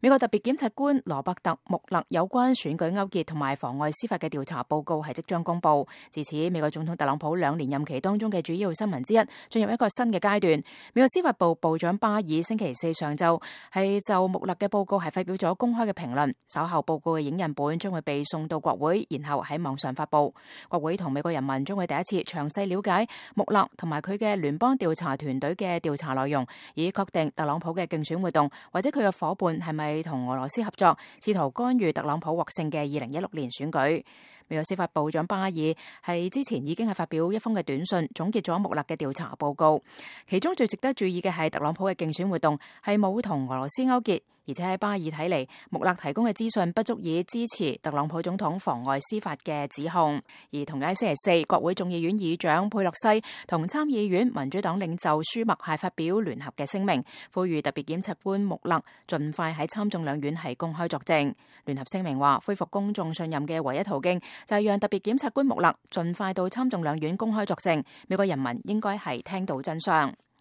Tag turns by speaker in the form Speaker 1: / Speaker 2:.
Speaker 1: 美國特別檢察官羅伯特·穆勒有關選舉勾結同埋妨礙司法嘅調查報告係即將公布。自此，美國總統特朗普2年任期當中嘅主要新聞之一進入一個新嘅階段。美國司法部部長巴爾星期四上晝係就穆勒嘅報告係發表咗公開嘅評論，稍後報告嘅影印本將會被送到國會，然後喺網上發布。國會同美國人民將會第一次詳細了解穆勒同埋佢嘅聯邦調查團隊嘅調查內容，以確定特朗普嘅競選活動或者佢嘅夥伴係咪同俄羅斯合作，試圖干預特朗普獲勝嘅2016年選舉。美國司法部長巴爾係之前已經係發表一封嘅短信，總結咗穆勒嘅調查報告。其中最值得注意嘅係特朗普嘅競選活動係冇同俄羅斯勾結，而且喺巴爾睇嚟，穆勒提供嘅資訊不足以支持特朗普總統妨礙司法嘅指控。而同喺星期四，國會眾議院議長佩洛西同參議院民主黨領袖舒默係發表聯合嘅聲明，呼籲特別檢察官穆勒盡快喺參眾兩院係公開作證。聯合聲明話，恢復公眾信任嘅唯一途徑就係讓特別檢察官穆勒盡快到參眾兩院公開作證。美國人民應該係聽到真相。